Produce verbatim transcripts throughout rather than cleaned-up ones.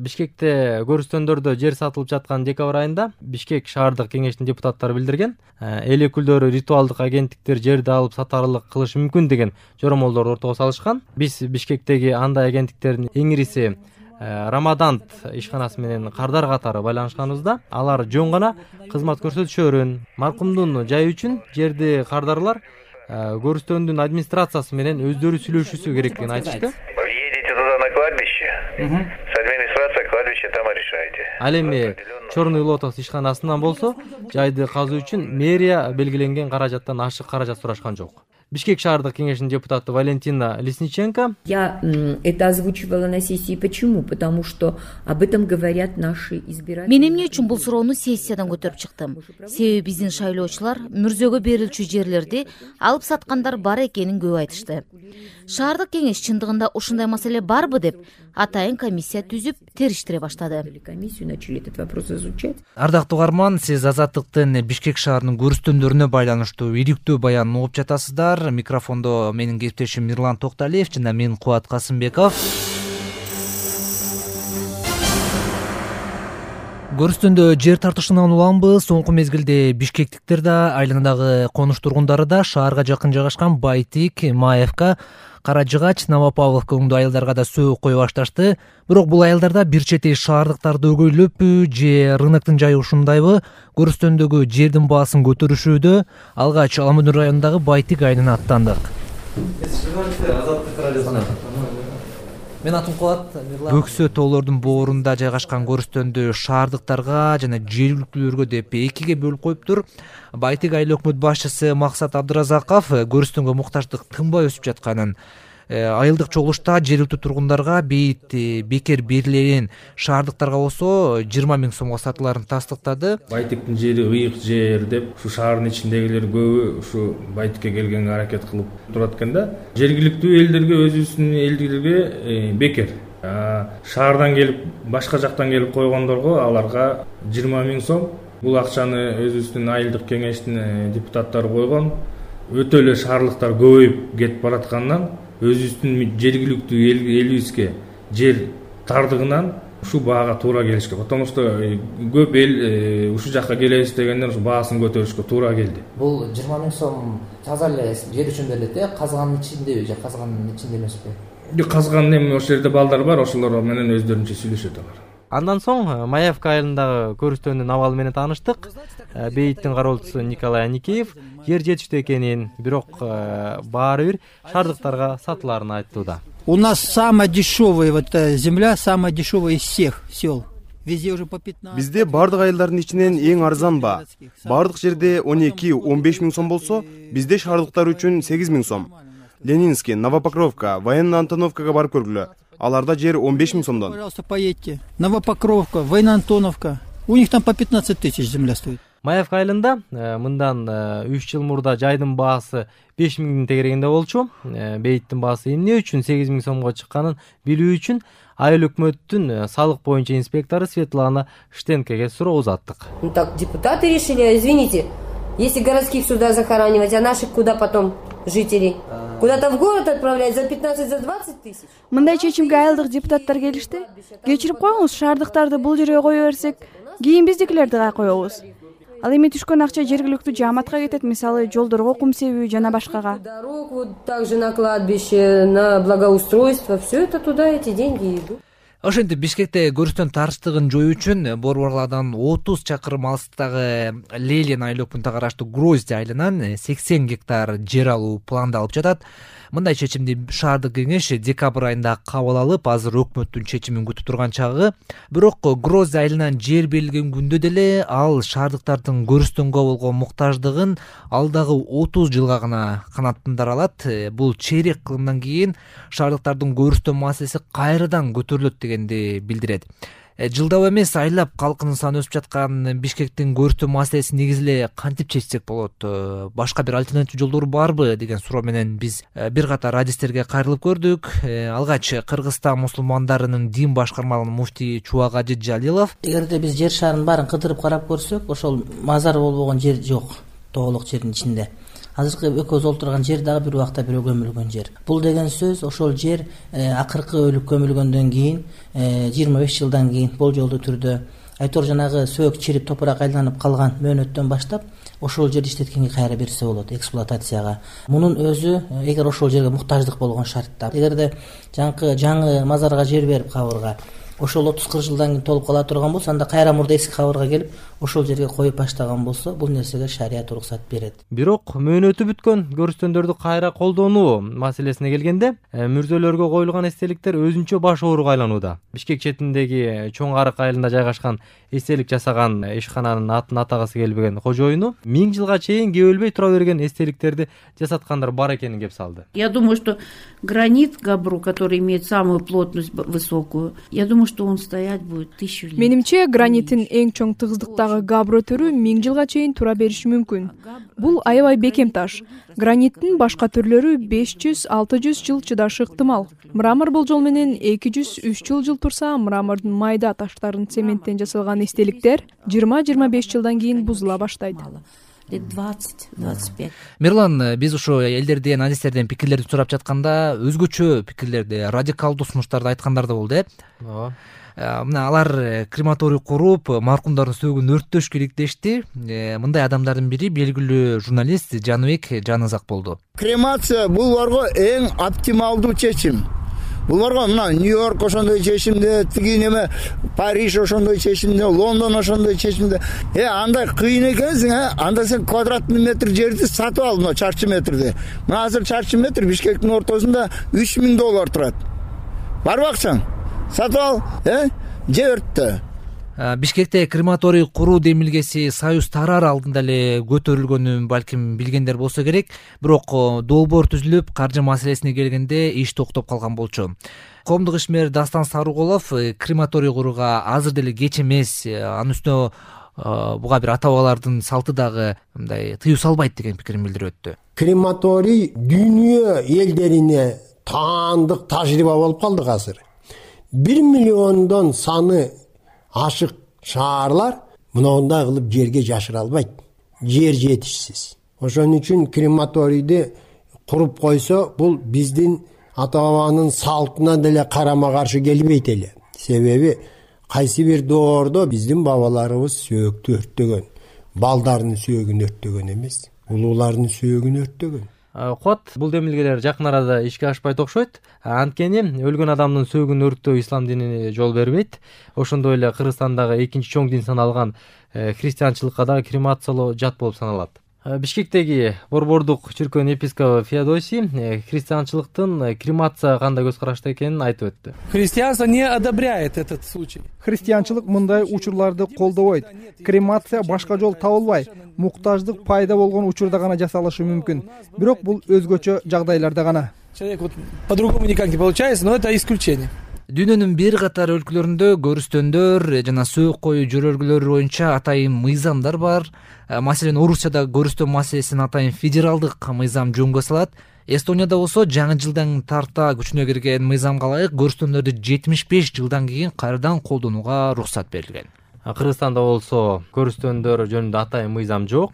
Бишкекте көрүстөндөрдө жер сатылып жаткан декабрь айында Бишкек шаардык кеңештин депутаттары билдирген. Эл өкүлдөрү ритуалдык агенттиктер жерди алып сатарлык кылышы мүмкүн деген жоромолдорду ортого салышкан. Биз Бишкектеги андай агенттиктердин эң ириси Рамадант ишканасы менен кардар катары байланышканыбызда, алар жөн гана кызмат көрсөтүшөрүн, маркумдун жайы үчүн жерди кардарлар көрүстөндүн администрациясы менен өздөрү сүйлөшүүсү керектигин айтышты. Едете туда на кладбище, с администрацией кладбище там и решайте. Ал эми Чорный Лотос ишканасынан болсо, жайды казуу үчүн мэрия белгиленген каражаттан ашык каражат сурашкан жок. Бишкек шаардык кеңешинин депутаты Валентина Лесниченко. Я это озвучивала на сессии. Почему? Потому что об этом говорят наши избиратели. Мен эмне үчүн бул суроону сессиядан көтөрүп чыктым? Себеби биздин шайлоочулар мүрзөгө берилчү жерлерди алып саткандар бар экенин көп айтышты. Шаардык кеңеш чындыгында ушундай маселе барбы деп атайын комиссия түзүп териштире баштады. Комиссию начали этот вопрос изучать. Ардактуу угарман, сиз Азаттыктын Бишкек шаарынын көрүстөндөрүнө байланыштуу ийгиликтүү баянын угуп жатасыздар. Микрофондо менин кесиптешим Мирлан Токталиев жана мен Кубат Касымбеков. Көрүстөндө жер тартышынан уламбы? Соңку мезгилде бишкектиктер да, айланадагы конуш тургундары да шаарга жакын жайгашкан Байтик, Маевка, Кара Жыгач, Новопавловка өңдүү айылдарга да сөөк кое башташты. Бирок бул айылдарда бир чети шаардыктарды өгөйлөппү же рыноктун жайы ушундайбы? Көрүстөндөгү жердин баасын көтөрүшүүдө алгач Аламүдүн районундагы Байтик айылына аттандык. Мен атым Кубат. Бөксө тоолордун боорунда жайгашкан көрүстөндү шаардыктарга жана жергиликтүүлөргө деп экиге бөлүп коюптур. Байтик айыл өкмөт башчысы Максат Абдыразаков көрүстөнгө муктаждык тынбай өсүп жатканын, айылдык чогулушта жергиликтүү тургундарга бейит бекер берилген шаардыктарга болсо жыйырма миң сомго сатыларын тастыктады. Байтиктин жери ыйык жер деп ушу шаардын ичиндегилер көбү ушу Байтикке келгенге аракет кылып турат экен да. Жергиликтүү элдерге, өзүбүздүн элдерге бекер. Шаардан келип, башка жактан келип койгондорго аларга жыйырма миң сом. Бул акчаны өзүбүздүн айылдык кеңештин депутаттары койгон. Өтө эле шаарлыктар көбөйүп кетип бараткандан өзүбүздүн жергиликтүү элибизге жер тардыгынан ушу баага туура келишке, потому что көп эл ушу жакка келебиз дегенден ушу баасын көтөрүшкө туура келди. Бул жыйырма миң сом таза эле жер үчүн берилет, э, казганын ичиндеби же казганын ичинде эмеспи? Жок, казган эми ошол жерде балдар бар, ошолор менен өздөрүнчө сүйлөшөт алар. Андан соң Маевка айылындагы көрүстөндүн абалы менен тааныштык. Бейиттин кароолчусу Николай Аникеев жер жетиштүү экенин, бирок баары бир шаардыктарга сатыларын айтууда. У нас самая дешевая вот земля, самая дешевая из всех сел. Везде уже по пятнадцать. Бизде бардык айылдардын ичинен эң арзан баа. Бардык жерде он эки он беш миң сом болсо, бизде шаардыктар үчүн сегиз миң сом. Ленинский, Новопокровка, Военная Антоновкага барып көргүлө. Аларда жер он беш миң сомдон. Пожалуйста, поедьте. Новопокровка, Военная Антоновка. У них там по пятнадцать тысяч земля стоит. Маевка айылында мындан үч жыл мурда жайдын баасы беш миңдин тегерегинде болчу. Бейиттин баасы эмне үчүн сегиз миң сомго чыкканын билүү үчүн айыл өкмөттүн салык боюнча инспектору Светлана Штенкеге суроо узаттык. Ну так депутаты решили, извините, если городских сюда захоранивать, а наших куда потом жителей? Куда-то в город отправлять за пятнадцать, за двадцать тысяч? Мындай чечимге айылдык депутаттар келишти. Кечирип коюңуз, шаардыктарды бул жерге кое берсек, кийин биздикилерди кай коебуз. Ал эми түшкөн акча жергиликтүү жааматка кетет, мисалы жолдорго кум себүү жана башкага. Дорог, вот также на кладбище, на благоустройство, все это туда эти деньги идут. Ошентип Бишкекте көрүстөн тартыштыгын жоюу үчүн Борборлардан отуз чакырым алыстагы Лелен айыл өкмөтүнө караштуу Грозди айылынан сексен гектар жер алуу пландалып жатат. Мындай чечимди шаардык кеңеш декабрь айында кабыл алып, азыр өкмөттүн чечимин күтүп турган чагы. Бирок Грозди айылынан жер берилген күндө деле ал шаардыктардын көрүстөнгө болгон муктаждыгын алдагы отуз жылга гана канаттандыра алат. Бул чейрек кылымдан кийин шаардыктардын көрүстөн маселеси кайрадан көтөрүлөт дегенди билдирет. Жылдап эмес айлап калкынын саны өсүп жаткан Бишкектин көрүстөө маселесин негизи эле кантип чечсек болот? Башка бир альтернатив жолдор барбы деген суроо менен биз бир катар адистерге кайрылып көрдүк. Алгач Кыргызстан мусулмандарынын дин башкармалыгынын муфтии Чубагажы Жалилов: эгерде биз жер шарын баарын кыдырып карап көрсөк, ошол мазар болбогон жер жок, тоолук жердин ичинде. азыркы экөөбүз отурган жер дагы бир убакта бирөө көмүлгөн жер. Бул деген сөз ошол жер акыркы өлүп көмүлгөндөн кийин жыйырма беш жылдан кийин болжолдуу түрдө айтор жанагы сөөк чирип топурак айланып калган мөөнөттөн баштап ошол жерди иштеткенге кайра берсе болот эксплуатацияга. Мунун өзү эгер ошол жерге муктаждык болгон шартта. Эгерде жаңкы жаңы мазарга жер берип кабырга ошол отуз кырк жылдан кийин толуп кала турган болсо, анда кайра мурда эски кабырга келип ошол жерге коюп баштаган болсо, бул нерсеге шарият уруксат берет. Бирок мөөнөтү бүткөн көрүстөндөрдү кайра колдонуу маселесине келгенде, мүрзөлөргө коюлган эстеликтер өзүнчө баш ооруга айланууда. Бишкек четиндеги Чоң Арык айылында жайгашкан эстелик жасаган ишкананын атын атагысы келбеген кожоюну миң жылга чейин кебөлбөй тура берген эстеликтерди жасаткандар бар экенин кеп салды. Я думаю, что гранит Габру, который имеет самую плотность высокую, я думаю, что он стоять будет тысячу лет. Менимче, граниттин эң чоң тыгыздыктагы габро түрү миң жылга чейин тура бериши мүмкүн. Бул аябай бекем таш. Граниттин башка түрлөрү беш жүз алты жүз жыл чыдашы ыктымал. Мрамор болжол менен эки жүз үч жыл жыл турса, мрамордун майда таштарын цементтен жасалган эстеликтер жыйырма жыйырма беш жылдан кийин бузула баштайт. Лет двадцать двадцать пять. Мирлан, биз ушу элдерден, адистерден пикирлерди сурап жатканда өзгөчө пикирлерди, радикалдуу сунуштарды айткандар да болду, э? Ооба. Мына алар крематорий куруп, маркумдардын сөөгүн өрттөш керек дешти. Мындай адамдардын бири белгилүү журналист Жаныбек Жанызак болду. Кремация буларга эң оптималдуу чечим. Буларга мына Нью-Йорк ошондой чечимде, тиги неме Париж ошондой чечимде, Лондон ошондой чечимде. Э андай кыйын экенсиң, э? Анда сен квадратный метр жерди сатып ал, мына чарчы метрди. Мына азыр чарчы метр Бишкектин ортосунда үч миң доллар турат. Барбаксың? Сатып ал, э? Жердте. Бишкекте крематорий куруу демилгеси Союз тараар алдында эле көтөрүлгөнүн балким билгендер болсо керек, бирок долбоор түзүлүп, каржы маселесине келгенде иш токтоп калган болчу. Коомдук ишмер Дастан Сарыголов крематорий курууга азыр деле кеч эмес, анын үстүнө буга бир ата-бабалардын салты дагы мындай тыюу салбайт деген пикирин билдирип өттү. Крематорий дүйнө элдерине таандык тажрыйба болуп калды азыр. бир миллиондон саны ашык шаарлар мындай кылып жерге жашыра албайт. Жер жетишсиз. Ошон үчүн крематорийди куруп койсо, бул биздин ата-бабанын салтына деле карама каршы келбейт эле. Себеби кайсы бир доордо биздин бабаларыбыз сөөктү өрттөгөн, балдардын сөөгүн өрттөгөн эмес, улуулардын сөөгүн өрттөгөн. Кот, бул демилгелер жакын арада ишке ашпайт окшойт. Анткени өлгөн адамдын сөөгүн өрттөө ислам динине жол бербейт. Ошондой эле Кыргызстандагы экинчи чоң дин саналган христианчылыкка дагы кремациялоо жат болуп саналат. Бишкектеги борбордук чиркөөнүн епископу Феодосий христианчылыктын кремация кандай көз карашта экенин айтып өттү. Христианство не одобряет этот случай. Христианчылык мындай учурларды колдобойт. Кремация башка жол табылбай, муктаждык пайда болгон учурда гана жасалышы мүмкүн. Бирок бул өзгөчө жагдайларда гана. Человек вот по-другому никак не получается, но это исключение. Дүйнөнүн бир катар өлкөлөрүндө көрүстөндөр жана сөөк коюу жөрөлгөлөрү боюнча атайын мыйзамдар бар. Маселен, Орусияда көрүстөн маселесин атайын федералдык мыйзам жөнгө салат. Эстонияда болсо жаңы жылдан тарта күчүнө кирген мыйзамга ылайык көрүстөндөрдү жетимиш беш жылдан кийин кайрадан колдонууга уруксат берилген. Кыргызстанда болсо көрүстөндөр жөнүндө атайын мыйзам жок.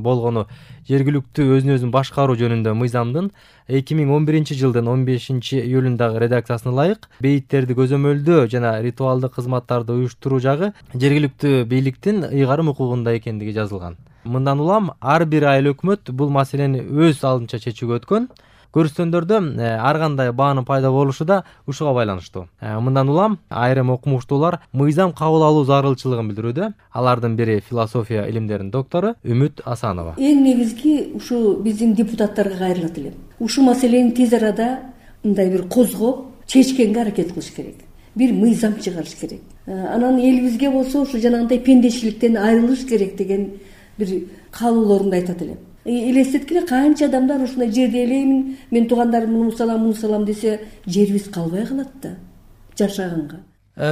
Болгону жергиликтүү өзүн өзүн башкаруу жөнүндө мыйзамдын эки миң он биринчи жылдын он бешинчи июлундагы редакциясына ылайык бейиттерди көзөмөлдөө жана ритуалдык кызматтарды уюштуруу жагы жергиликтүү бийликтин ыйгарым укугунда экендиги жазылган. Мындан улам ар бир айыл өкмөт бул маселени өз алдынча чечүүгө өткөн. Көрүстөндөрдө ар кандай баанын пайда болушу да ушуга байланыштуу. Мындан улам айрым окумуштуулар мыйзам кабыл алуу зарылчылыгын билдирүүдө. Алардын бири философия илимдеринин доктору Үмүт Асанова. Эң негизги ушу биздин депутаттарга кайрылат элем. Ушу маселени тез арада мындай бир козгоп, чечкенге аракет кылыш керек. Бир мыйзам чыгарыш керек. Анан элибизге болсо ушу жанагындай пендечиликтен айрылыш керек деген бир каалоолорунду айтат элем. Элестеткиле, канча адамдар ушундай жерди элеймин, мен туугандарым муну салам, муну салам десе, жерибиз калбай калат да жашаганга.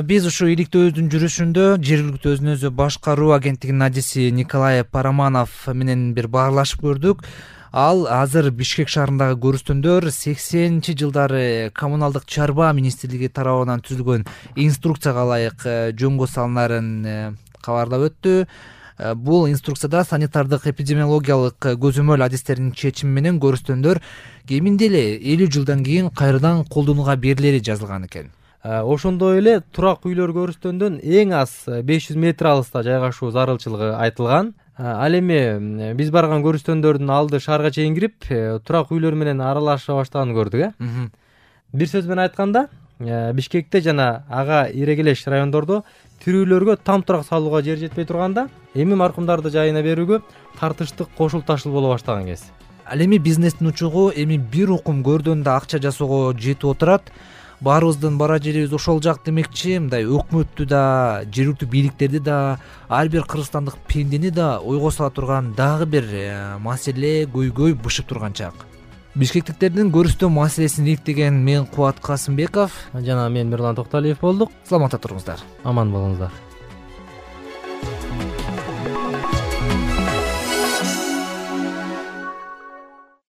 Биз ушу иликтөөдүн жүрүшүндө жергиликтүү өзүн өзү башкаруу агенттигинин адиси Николай Параманов менен бир баарлашып көрдүк. Ал азыр Бишкек шаарындагы көрүстөндөр сексенинчи жылдары коммуналдык чарба министрлиги тарабынан түзүлгөн инструкцияга ылайык жөнгө салынарын кабарлап өттү. Бул инструкцияда санитардык эпидемиологиялык көзөмөл адистеринин чечими менен көрүстөндөр кеминде эле элүү жылдан кийин кайрадан колдонууга берилери жазылган экен. Ошондой эле турак үйлөр көрүстөндөн эң аз беш жүз метр алыста жайгашуу зарылчылыгы айтылган. Ал эми биз барган көрүстөндөрдүн алды шаарга чейин кирип, турак үйлөр менен аралаша баштаганын көрдүк, э. Бир сөз менен айтканда, Бишкекте жана ага ирегелеш райондордо тирүүлөргө там турак салууга жер жетпей турганда, эми маркумдарды жайына берүүгө тартыштык кошул ташыл боло баштаган кез. Ал эми бизнестин учугу эми бир укум көрдөн да акча жасоого жетип отурат. Баарыбыздын бара жерибиз ошол жак демекчи, мындай өкмөттү да, жергиликтүү бийликтерди да, ар бир кыргызстандык пендени да ойго сала турган дагы бир маселе көйгөй бышып турган чак. Бишкектиктердин көрүстөө маселесин иликтеген мен Кубат Касымбеков жана мен Мирлан Токталиев болдук. Саламатта туруңуздар. Аман болуңуздар.